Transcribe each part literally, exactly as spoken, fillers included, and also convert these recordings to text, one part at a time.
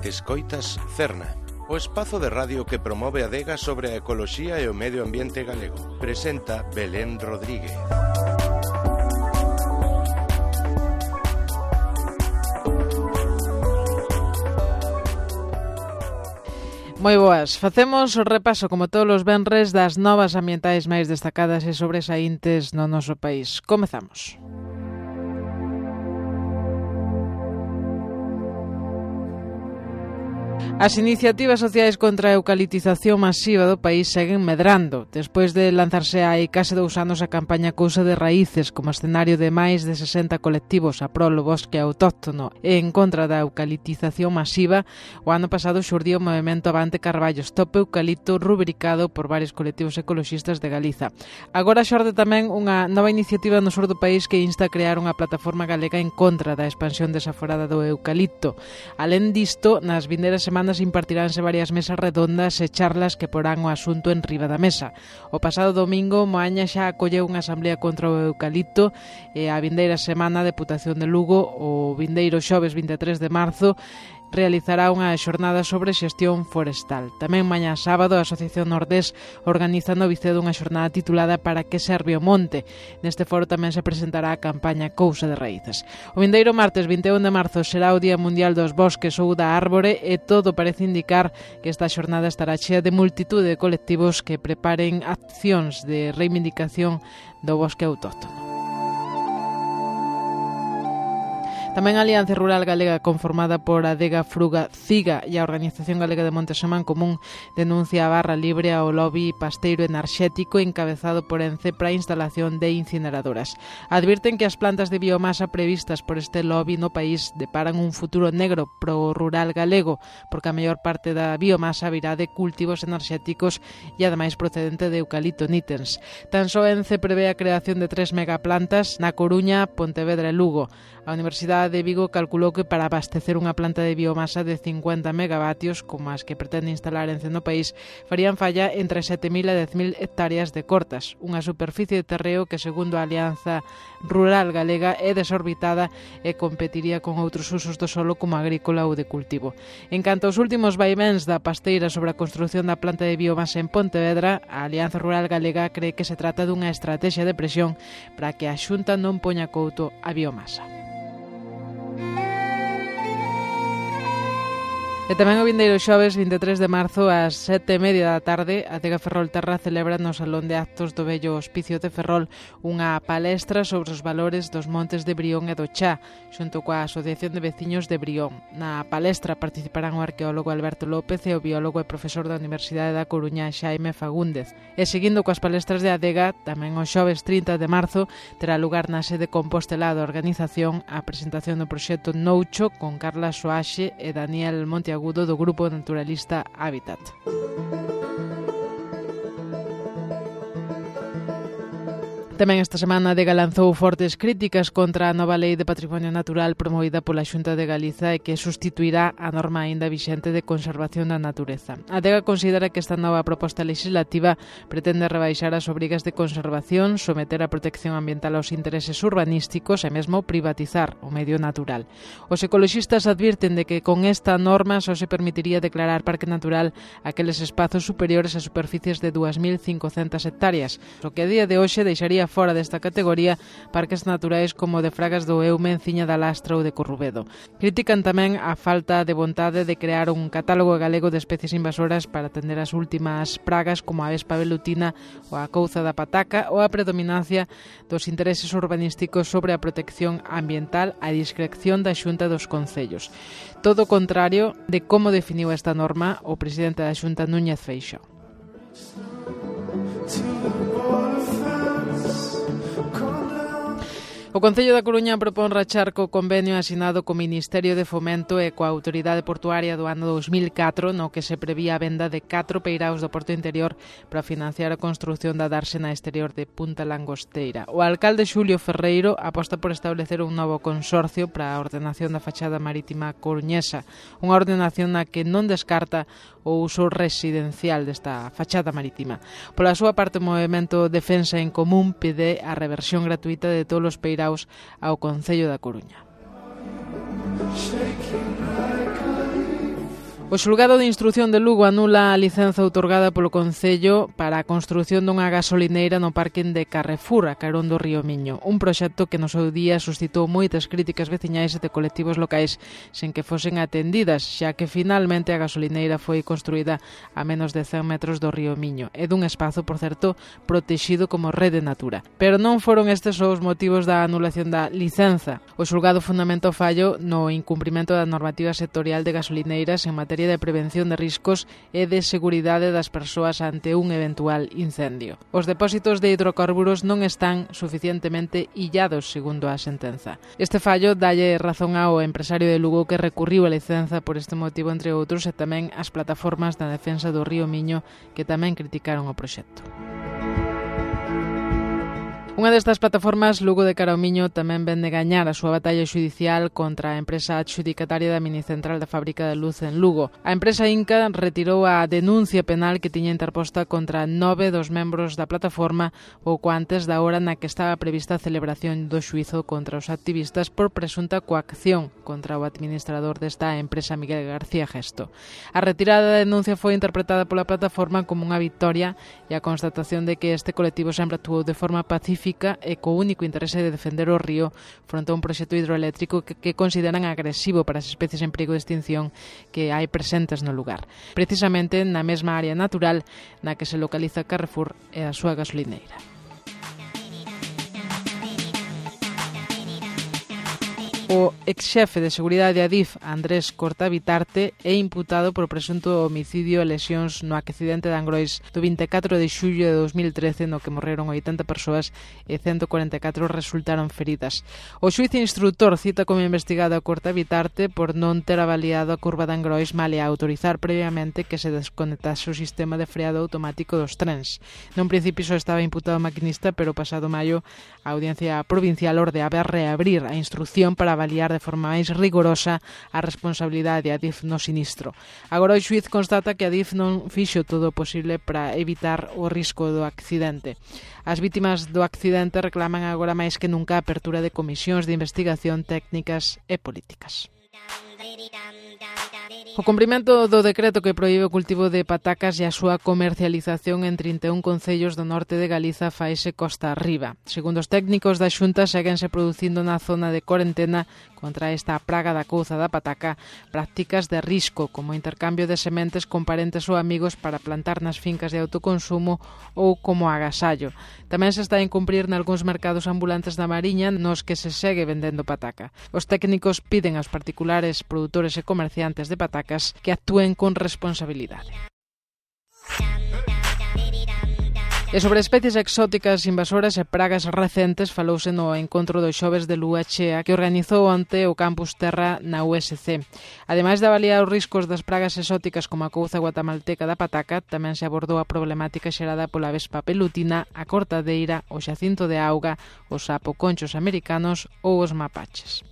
Escoitas Cerna, o espazo de radio que promove a adega sobre a ecoloxía e o medio ambiente galego. Presenta Belén Rodríguez. Moi boas, facemos o repaso como todos os venres das novas ambientais máis destacadas e sobresaíntes no noso país. Comezamos. As iniciativas sociais contra a eucaliptización masiva do país seguen medrando, despois de lanzarse hai case dous anos a campaña Cousa de Raíces como escenario de máis de sesenta colectivos a prol do bosque autóctono e en contra da eucaliptización masiva. O ano pasado xurdiu o movemento Avante Carballo, Stop Eucalipto, rubricado por varios colectivos ecoloxistas de Galiza. Agora xorde tamén unha nova iniciativa no sur do país que insta a crear unha plataforma galega en contra da expansión desaforada do eucalipto. Alén disto, nas vindeiras semanas impartiránse varias mesas redondas e charlas que porán o asunto en riba da mesa. O pasado domingo, Moaña xa acolleu unha asamblea contra o eucalipto e a vindeira semana a Deputación de Lugo, o vindeiro xoves vinte e tres de marzo, realizará unha xornada sobre xestión forestal. Tamén mañá sábado a Asociación Nordés organiza no Vicedo unha xornada titulada Para que serve o monte. Neste foro tamén se presentará a campaña Cousa de Raíces. O vindeiro martes vinte e un de marzo será o Día Mundial dos Bosques ou da Árbore e todo parece indicar que esta xornada estará chea de multitude de colectivos que preparen accións de reivindicación do bosque autóctono. Tamén a Alianza Rural Galega, conformada por Adega, Fruga, Ciga e a Organización Galega de Montes en Común, denuncia a barra libre ao lobby pasteiro enerxético encabezado por ENCE para a instalación de incineradoras. Advirten que as plantas de biomasa previstas por este lobby no país deparan un futuro negro pro rural galego, porque a maior parte da biomasa virá de cultivos enerxéticos e ademais procedente de eucalipto nitens. Tan só ENCE prevé a creación de tres megaplantas na Coruña, Pontevedra e Lugo. A Universidade de Vigo calculou que para abastecer unha planta de biomasa de cincuenta megavatios, como as que pretende instalar ENCE no país, farían falla entre sete mil e dez mil hectáreas de cortas, unha superficie de terreo que, segundo a Alianza Rural Galega, é desorbitada e competiría con outros usos do solo como agrícola ou de cultivo. En canto aos últimos vaivéns da pasteira sobre a construción da planta de biomasa en Pontevedra, a Alianza Rural Galega cree que se trata dunha estrategia de presión para que a Xunta non poña couto a biomasa. E tamén o vindeiro xoves vinte e tres de marzo ás sete e media da tarde a Adega Ferrolterra celebra no Salón de Actos do vello Hospicio de Ferrol unha palestra sobre os valores dos montes de Brión e do Chá, xunto coa Asociación de Veciños de Brión. Na palestra participarán o arqueólogo Alberto López e o biólogo e profesor da Universidade da Coruña Xaime Fagúndez. E seguindo coas palestras de Adega, tamén o xoves trinta de marzo terá lugar na sede Compostela da organización a presentación do proxecto Noucho con Carla Soaxe e Daniel Monteagudo do grupo naturalista Hábitat. Tamén esta semana a Adega lanzou fortes críticas contra a nova Lei de Patrimonio Natural promovida pola Xunta de Galiza e que sustituirá a norma aínda vixente de conservación da natureza. A Adega considera que esta nova proposta legislativa pretende rebaixar as obrigas de conservación, someter a protección ambiental aos intereses urbanísticos e mesmo privatizar o medio natural. Os ecoloxistas advirten de que con esta norma só se permitiría declarar parque natural aqueles espazos superiores a superficies de dúas mil cincocentas hectáreas, o que a día de hoxe deixaría fora desta categoría parques naturais como de Fragas do Eume, Enciña da Lastra ou de Corrubedo. Critican tamén a falta de vontade de crear un catálogo galego de especies invasoras para atender as últimas pragas como a vespa velutina ou a couza da pataca ou a predominancia dos intereses urbanísticos sobre a protección ambiental a discreción da Xunta dos Concellos. Todo o contrario de como definiu esta norma o presidente da Xunta, Núñez Feixóo. O Concello da Coruña propón rachar co convenio asinado co Ministerio de Fomento e coa Autoridade Portuaria do ano dos mil catro, no que se prevía a venda de catro peiraos do Porto Interior para financiar a construción da dársena exterior de Punta Langosteira. O alcalde Xulio Ferreiro aposta por establecer un novo consorcio para a ordenación da fachada marítima coruñesa, unha ordenación na que non descarta o uso residencial desta fachada marítima. Pola súa parte, o movemento Defensa en Común pide a reversión gratuita de todos os peiraos ao Concello da Coruña. O xulgado de instrución de Lugo anula a licenza outorgada polo Concello para a construción dunha gasolineira no parking de Carrefour, a carón do río Miño, un proxecto que no seu día suscitou moitas críticas veciñais e de colectivos locais sen que fosen atendidas, xa que finalmente a gasolineira foi construída a menos de cen metros do río Miño e dun espazo, por certo, protexido como rede natura. Pero non foron estes os motivos da anulación da licenza. O xulgado fundamentou fallo no incumprimento da normativa sectorial de gasolineiras en materia de prevención de riscos e de seguridade das persoas ante un eventual incendio. Os depósitos de hidrocarburos non están suficientemente illados, segundo a sentenza. Este fallo dalle razón ao empresario de Lugo que recurriu a licenza por este motivo, entre outros, e tamén as plataformas da defensa do río Miño que tamén criticaron o proxecto. Unha destas plataformas, Lugo de Cara ao Miño, tamén ven de gañar a súa batalla xudicial contra a empresa adxudicataria da minicentral da fábrica de luz en Lugo. A empresa Inca retirou a denuncia penal que tiña interposta contra nove dos membros da plataforma pouco antes da hora na que estaba prevista a celebración do xuízo contra os activistas por presunta coacción contra o administrador desta empresa, Miguel García Gesto. A retirada da denuncia foi interpretada pola plataforma como unha victoria e a constatación de que este colectivo sempre actuou de forma pacífica e co único interese de defender o río fronte a un proxecto hidroeléctrico que, que consideran agresivo para as especies en perigo de extinción que hai presentes no lugar, precisamente na mesma área natural na que se localiza Carrefour e a súa gasolineira. O exxefe de seguridade Adif, Andrés Cortabitarte, é imputado por presunto homicidio e lesións no accidente de Angrois do vinte e catro de xullo de dos mil trece, no que morreron oitenta persoas e ciento corenta e catro resultaron feridas. O xuíz instructor cita como investigado a Cortabitarte por non ter avaliado a curva de Angrois male a autorizar previamente que se desconectase o sistema de freado automático dos trens. Non principio só estaba imputado o maquinista, pero pasado maio a Audiencia Provincial ordeaba reabrir a instrucción para avaliar de forma máis rigorosa a responsabilidade de Adif no sinistro. Agora o xuíz constata que Adif non fixo todo o posible para evitar o risco do accidente. As vítimas do accidente reclaman agora máis que nunca a apertura de comisións de investigación técnicas e políticas. O cumprimento do decreto que proíbe o cultivo de patacas e a súa comercialización en trinta e un concellos do norte de Galiza faise costa arriba. Segundo os técnicos da Xunta, séguense producindo na zona de corentena contra esta praga da couza da pataca prácticas de risco, como intercambio de sementes con parentes ou amigos para plantar nas fincas de autoconsumo ou como agasallo. Tamén se está a incumprir nalgúns mercados ambulantes da Mariña nos que se segue vendendo pataca. Os técnicos piden aos particulares produtores e comerciantes de patacas que actúen con responsabilidade. E sobre especies exóticas invasoras e pragas recentes falouse no encontro do xoves de Lúa Chea que organizou onte o Campus Terra na U S C. Ademais de avaliar os riscos das pragas exóticas como a couza guatemalteca da pataca, tamén se abordou a problemática xerada pola vespa pelutina, a cortadeira, o xacinto de auga, os sapoconchos americanos ou os mapaches.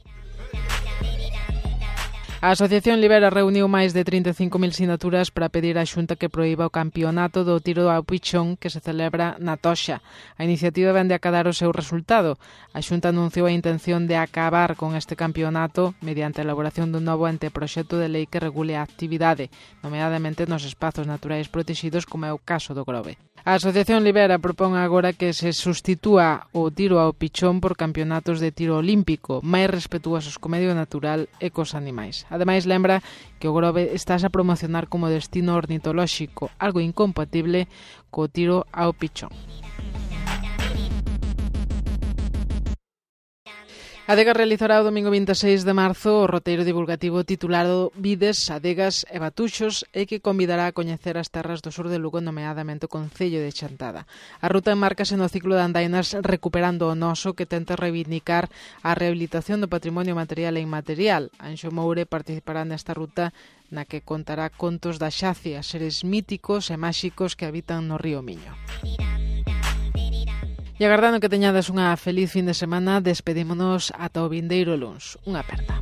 A Asociación Libera reuniu máis de trinta e cinco mil sinaturas para pedir á Xunta que proíba o campeonato do tiro ao pichón que se celebra na Toxa. A iniciativa vende a acadar o seu resultado. A Xunta anunciou a intención de acabar con este campeonato mediante a elaboración dun novo anteproxecto de lei que regule a actividade, nomeadamente nos espazos naturais protegidos como é o caso do Grove. A Asociación Libera propón agora que se sustitúa o tiro ao pichón por campeonatos de tiro olímpico, máis respetuosos co medio natural e cos animais. Ademais, lembra que o Grove estás a promocionar como destino ornitolóxico, algo incompatible co tiro ao pichón. A Adega realizará o domingo vinte e seis de marzo o roteiro divulgativo titulado Vides, Adegas e Batuxos e que convidará a coñecer as terras do sur de Lugo, nomeadamente o concello de Chantada. A ruta enmárcase no ciclo de andainas Recuperando o Noso, que tenta reivindicar a rehabilitación do patrimonio material e inmaterial. Anxo Moure participará nesta ruta na que contará contos da Xacia, seres míticos e máxicos que habitan no río Miño. E agardando que teñades unha feliz fin de semana, despedímonos ata o vindeiro luns. Unha aperta.